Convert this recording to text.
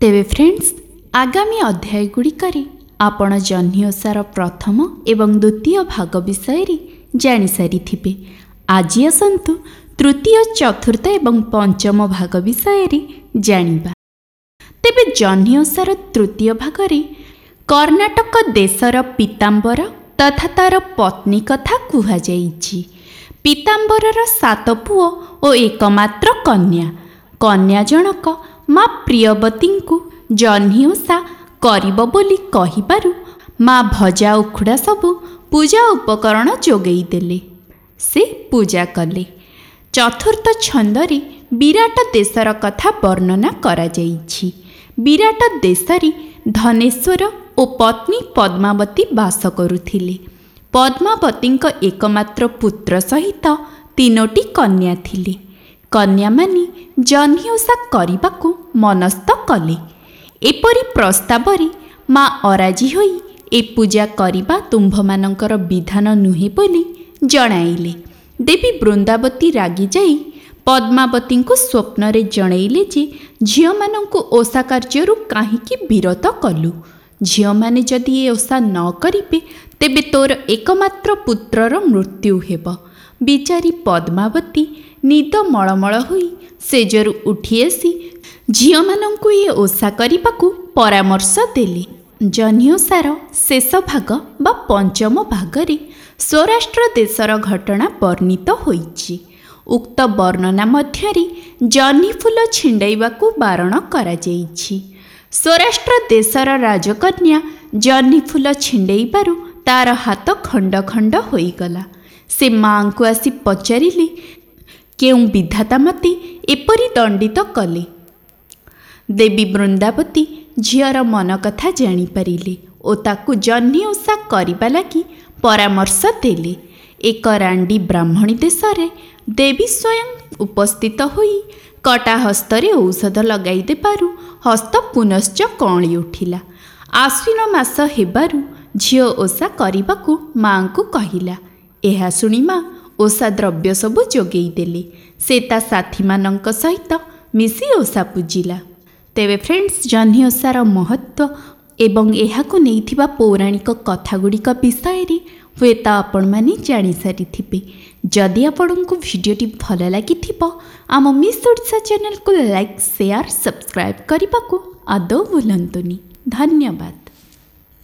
ତେବେ ଫ୍ରେଣ୍ଡସ୍, ଆଗାମୀ ଅଧ୍ୟାୟ ଗୁଡ଼ିକରେ ଆପଣ ଜହ୍ନି ଓଷାର ପ୍ରଥମ ଏବଂ ଦ୍ୱିତୀୟ ଭାଗ ବିଷୟରେ ଜାଣିସାରିଥିବେ। ଆଜି ଆସନ୍ତୁ ତୃତୀୟ, ଚତୁର୍ଥ ଏବଂ ପଞ୍ଚମ ଭାଗ ବିଷୟରେ ଜାଣିବା। ତେବେ ଜହ୍ନି ଓଷାର ତୃତୀୟ ଭାଗରେ କର୍ଣ୍ଣାଟକ ଦେଶର ପୀତାମ୍ବର ତଥା ତାର ପତ୍ନୀ କଥା କୁହାଯାଇଛି। ପୀତାମ୍ବରର 7 ପୁଅ ଓ ଏକମାତ୍ର କନ୍ୟା। କନ୍ୟା ଜଣକ ମା ପ୍ରିୟବତୀଙ୍କୁ ଜହ୍ନି ଓଷା କରିବ ବୋଲି କହିବାରୁ ମା ଭଜା ଉଖୁଡ଼ା ସବୁ ପୂଜା ଉପକରଣ ଯୋଗାଇ ଦେଲେ। ସେ ପୂଜା କଲେ। ଚତୁର୍ଥ ଛନ୍ଦରେ ବିରାଟ ଦେଶର କଥା ବର୍ଣ୍ଣନା କରାଯାଇଛି। ବିରାଟ ଦେଶରେ ଧନେଶ୍ୱର ଓ ପତ୍ନୀ ପଦ୍ମାବତୀ ବାସ କରୁଥିଲେ। ପଦ୍ମାବତୀଙ୍କ ଏକମାତ୍ର ପୁତ୍ର ସହିତ 3ଟି କନ୍ୟା ଥିଲେ। କନ୍ୟାମାନେ ଜହ୍ନି ଓଷା କରିବାକୁ ମନସ୍ଥ କଲେ। ଏପରି ପ୍ରସ୍ତାବରେ ମା ଅରାଜି ହୋଇ ଏ ପୂଜା କରିବା ତୁମ୍ଭମାନଙ୍କର ବିଧାନ ନୁହେଁ ବୋଲି ଜଣାଇଲେ। ଦେବୀ ବୃନ୍ଦାବତୀ ରାଗିଯାଇ ପଦ୍ମାବତୀଙ୍କୁ ସ୍ୱପ୍ନରେ ଜଣାଇଲେ ଯେ ଝିଅମାନଙ୍କୁ ଓଷା କାର୍ଯ୍ୟରୁ କାହିଁକି ବିରତ କଲୁ? ଝିଅମାନେ ଯଦି ଏ ଓଷା ନ କରିବେ, ତେବେ ତୋର ଏକମାତ୍ର ପୁତ୍ରର ମୃତ୍ୟୁ ହେବ। ବିଚାରୀ ପଦ୍ମାବତୀ ନିଦ ମଳମଳ ହୋଇ ଶେଯରୁ ଉଠି ଆସି ଝିଅମାନଙ୍କୁ ଏ ଓଷା କରିବାକୁ ପରାମର୍ଶ ଦେଲେ। ଜହ୍ନି ଓଷାର ଶେଷ ଭାଗ ବା ପଞ୍ଚମ ଭାଗରେ ସ୍ୱରାଷ୍ଟ୍ର ଦେଶର ଘଟଣା ବର୍ଣ୍ଣିତ ହୋଇଛି। ଉକ୍ତ ବର୍ଣ୍ଣନା ମଧ୍ୟରେ ଜହ୍ନି ଫୁଲ ଛିଣ୍ଡାଇବାକୁ ବାରଣ କରାଯାଇଛି। ସ୍ୱରାଷ୍ଟ୍ର ଦେଶର ରାଜକନ୍ୟା ଜହ୍ନି ଫୁଲ ଛିଣ୍ଡାଇବାରୁ ତାର ହାତ ଖଣ୍ଡ ଖଣ୍ଡ ହୋଇଗଲା। ସେ ମାଆଙ୍କୁ ଆସି ପଚାରିଲେ, କେଉଁ ବିଧାତା ମୋତେ ଏପରି ଦଣ୍ଡିତ କଲେ? ଦେବୀ ବୃନ୍ଦାବତୀ ଝିଅର ମନ କଥା ଜାଣିପାରିଲେ ଓ ତାକୁ ଜହ୍ନି ଓଷା କରିବା ଲାଗି ପରାମର୍ଶ ଦେଲେ। ଏକ ରାଣ୍ଡି ବ୍ରାହ୍ମଣୀ ଦେଶରେ ଦେବୀ ସ୍ୱୟଂ ଉପସ୍ଥିତ ହୋଇ କଟା ହସ୍ତରେ ଔଷଧ ଲଗାଇ ଦେବାରୁ ହସ୍ତ ପୁନଶ୍ଚ କଅଁଳି ଉଠିଲା। ଆଶ୍ୱିନ ମାସ ହେବାରୁ ଝିଅ ଓଷା କରିବାକୁ ମାଆଙ୍କୁ କହିଲା। ଏହା ଶୁଣି ମା ଓଷା ଦ୍ରବ୍ୟ ସବୁ ଯୋଗାଇ ଦେଲେ। ସେ ତା ସାଥୀମାନଙ୍କ ସହିତ ମିଶି ଓଷା ପୂଜିଲା। ତେବେ ଫ୍ରେଣ୍ଡସ୍, ଜହ୍ନି ଓଷାର ମହତ୍ତ୍ୱ ଏବଂ ଏହାକୁ ନେଇଥିବା ପୌରାଣିକ କଥାଗୁଡ଼ିକ ବିଷୟରେ ହୁଏତ ଆପଣମାନେ ଜାଣିସାରିଥିବେ। ଯଦି ଆପଣଙ୍କୁ ଭିଡ଼ିଓଟି ଭଲ ଲାଗିଥିବ, ଆମ ମିସ୍ ଓଡ଼ିଶା ଚ୍ୟାନେଲକୁ ଲାଇକ୍, ସେୟାର, ସବସ୍କ୍ରାଇବ୍ କରିବାକୁ ଆଦୌ ଭୁଲନ୍ତୁନି। ଧନ୍ୟବାଦ।